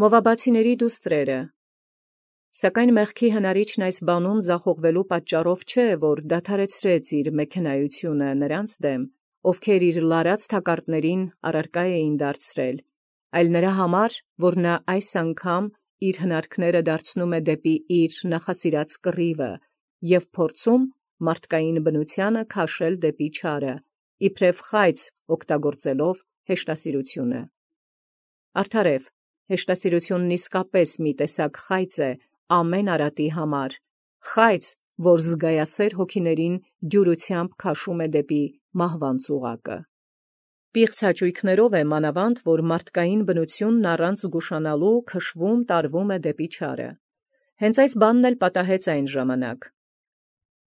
Մովաբացիների դուստրերը։ Սակայն մեղքի հնարիչն այս բանում զախողվելու պատճառով չէ, որ դադարեցրեց իր մեքենայությունը նրանց դեմ, ովքեր իր լարած թակարդներին առարկա էին դարձրել, այլ նրա համար, որ նա այս անգամ իր հնարքները դարձնում է դեպի իր նախասիրած կռիվը և փորձում մարդկային բնությանը քաշել դեպի չարը, իբրև խայծ օգտագործելով հեշտասիրությունը։ Արդարև, հեշտասիրությունն իսկապես մի տեսակ խայծ է ամեն արատի համար, խայծ, որ զգայասեր հոգիներին դյուրությամբ քաշում է դեպի մահվան ծուղակը։ Պիղծ հաճույքներով է մանավանդ, որ մարդկային բնությունն առանց զգուշանալու քշվում տարվում է դեպի չարը։ Հենց այս բանն էլ պատահեց այն ժամանակ։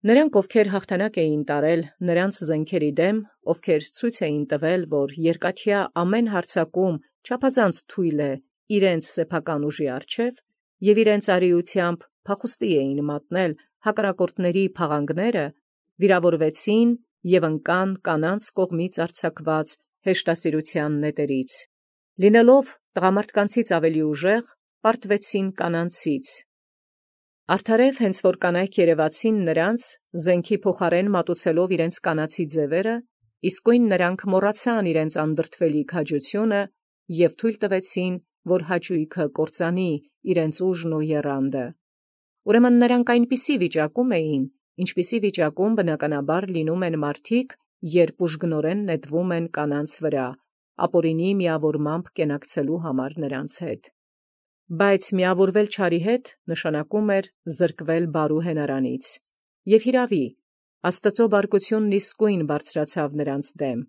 Նրանք, ովքեր հաղթանակ էին տարել նրանց զենքերի դեմ, ովքեր ցույց էին տվել, որ երկաթյա ամեն հարձակում չափազանց թույլ է իրենց սեփական ուժի առջև, և իրենց արիությամբ փախուստի էին մատնել հակառակորդների փաղանգները, վիրավորվեցին և ընկան կանանց կողմից արձակված հեշտասիրության նետերից, լինելով տղամարդկանցից ավելի ուժեղ, պարտվեցին կանանցից։ Արդարև հենց որ կանայք երևացին նրանց, զենքի փոխարեն մատուցելով իրենց կանացի ձևերը, իսկույն նրանք մոռացան իրենց անդրդվելի քաջությունը և թույլ տվեցին, որ հաճույքը կործանի իրենց ուժն ու եռանդը։ Ուրեմն նրանք այնպիսի վիճակում էին, ինչպիսի վիճակում բնականաբար լինում են մարդիկ, երբ ուժգնորեն նետվում են կանանց վրա, ապօրինի միավորմամբ կենակցելու համար նրանց հետ։ Բայց միավորվել չարի հետ նշանակում էր զրկվել բարու հենարանից։ Եվ հիրավի, Աստծո բարկությունն իսկույն բարձրացավ նրանց դեմ,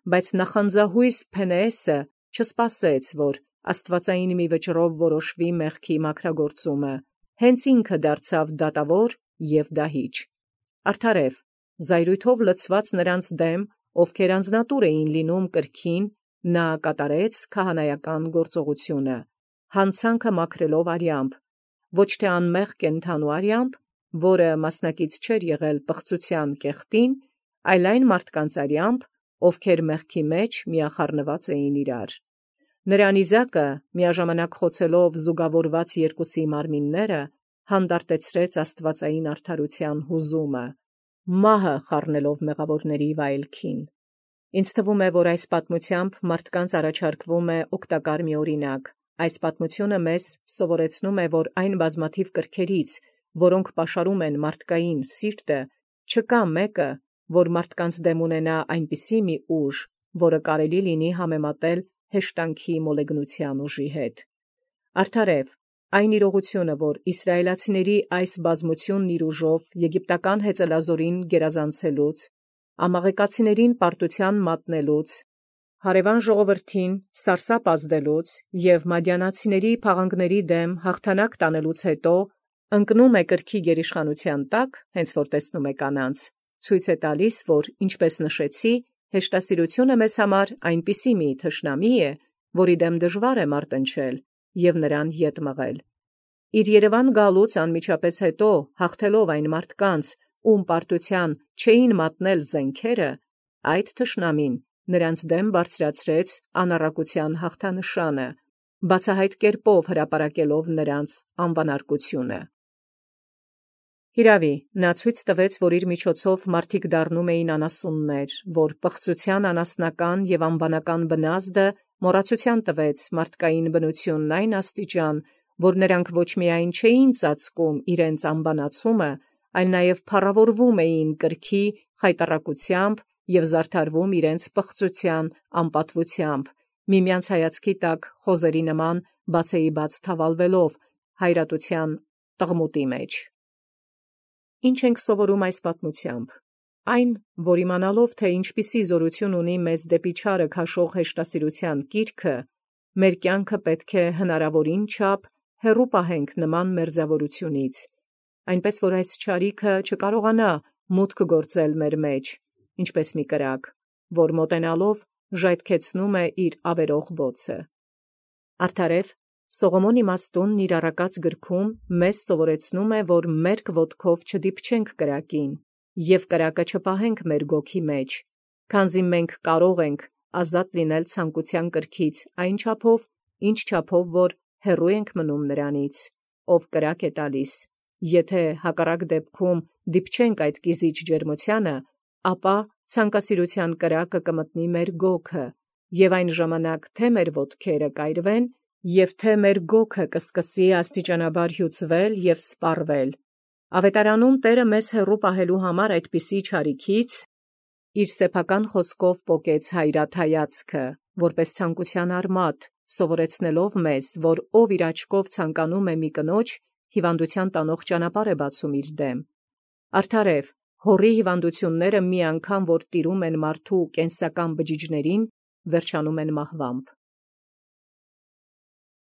բայց նախանձահույս Փենեեսը չսպասեց, որ աստվածային մի վճռով որոշվի մեղքի մաքրագործումը, հենց ինքը դարձավ դատավոր և դահիճ։ Արդարև, զայրույթով լցված նրանց դեմ, ովքեր անձնատուր էին լինում կրքին, նա կատարեց քահանայական գործողությունը, հանցանքը մաքրելով արյամբ, ոչ թե անմեղ կենդանու արյամբ, որը մասնակից չէր եղել պղծության կեղտին, այլ այն մարդկանց արյամբ, ովքեր մեղքի մեջ միախառնված էին իրար։ Նրա նիզակը, միաժամանակ խոցելով զուգավորված երկուսի մարմինները, հանդարտեցրեց աստվածային արդարության հուզումը, մահը խառնելով մեղավորների վայելքին։ Ինձ թվում է, որ այս պատմությամբ մարդկանց առաջարկվում է օգտակար մի օրինակ։ Այս պատմությունը մեզ սովորեցնում է, որ այն բազմաթիվ կրքերից, որոնք պաշարում են մարդկային սիրտը, չկա մեկը, որ մարդկանց դեմ ունենա այնպիսի մի ուժ, որը կարելի լինի համեմատել հեշտանքի մոլեգնության ուժի հետ։ Արդարև, այն իրողությունը, որ իսրայելացիների այս բազմությունն իր ուժով եգիպտական հեծելազորին գերազանցելուց, ամաղեկացիներին պարտության մատնելուց, հարևան ժողովրդին սարսափ ազդելուց և մադիանացիների փաղանգների դեմ հաղթանակ տանելուց հետո ընկնում է կրքի գերիշխանության տակ, հենց որ տեսնում է կանանց, ցույց է տալիս, որ, ինչպես նշեցի, հեշտասիրությունը մեզ համար այնպիսի մի թշնամի է, որի դեմ դժվար է մարտնչել և նրան ետ մղել։ Իր Երևան գալուց անմիջապես հետո, հաղթելով այն մարդկանց, ում պարտության չէին մատնել զենքերը, այդ թշնամին նրանց դեմ բարձրացրեց անառակության հաղթանշանը, բացահայտ կերպով հրապարակելով նրանց անվանարկությունը։ Հիրավի, նա ցույց տվեց, որ իր միջոցով մարդիկ դառնում էին անասուններ, որ պղծության անասնական և անվանական բնազդը մոռացության տվեց մարդկային բնությունն այն աստիճան, որ նրանք ոչ միայն չէին ծածկում իրենց անբանացումը, այլ նաև փառավորվում էին կրքի խայտառակությամբ և զարդարվում իրենց պղծության անպատվությամբ, միմյանց հայացքի տակ խոզերի նման բացեիբաց թավալվելով հայրատության տղմուտի մեջ։ Ինչ ենք սովորում այս պատմությամբ։ Այն, որ իմանալով, թե ինչպիսի զորություն ունի մեզ դեպի չարը քաշող հեշտասիրության կիրքը, մեր կյանքը պետք է հնարավորին չափ հեռու պահենք նման մերձավորությունից, այնպես որ այս չարիքը չկարողանա մուտք գործել մեր մեջ, ինչպես մի կրակ, որ մոտենալով ժայթքեցնում է իր ավերող բոցը։ Արդարև, Սողոմոն իմաստունն իր առակած գրքում մեզ սովորեցնում է, որ մերկ ոտքով չդիպչենք կրակին և կրակը չպահենք մեր գոգի մեջ, քանզի մենք կարող ենք ազատ լինել ցանկության կրքից այն չափով, ինչ չափով որ հեռու ենք մնում նրանից, ով կրակ է տալիս։ Եթե հակառակ դեպքում դիպչենք այդ կիզիչ ջերմությանը, ապա ցանկասիրության կրակը կմտնի մեր գոգը, եւ այն ժամանակ թե մեր ոտքերը կայրվեն, եւ թե մեր գոգը կսկսի աստիճանաբար հյուծվել եւ սպառվել։ Ավետարանում Տէրը մեզ հեռու պահելու համար այդպիսի չարիքից իր սեփական խոսքով պոկեց հայրաթայացքը, որպես ցանկության արմատ, սովորեցնելով մեզ, որ ով իր աչքով ցանկանում է մի կնոջ, հիվանդության տանող ճանապարհ է բացում իր դեմ։ Արդարև, հորի հիվանդությունները մի անգամ որ տիրում են մարդու կենսական բջիջներին, վերջանում են մահվամբ։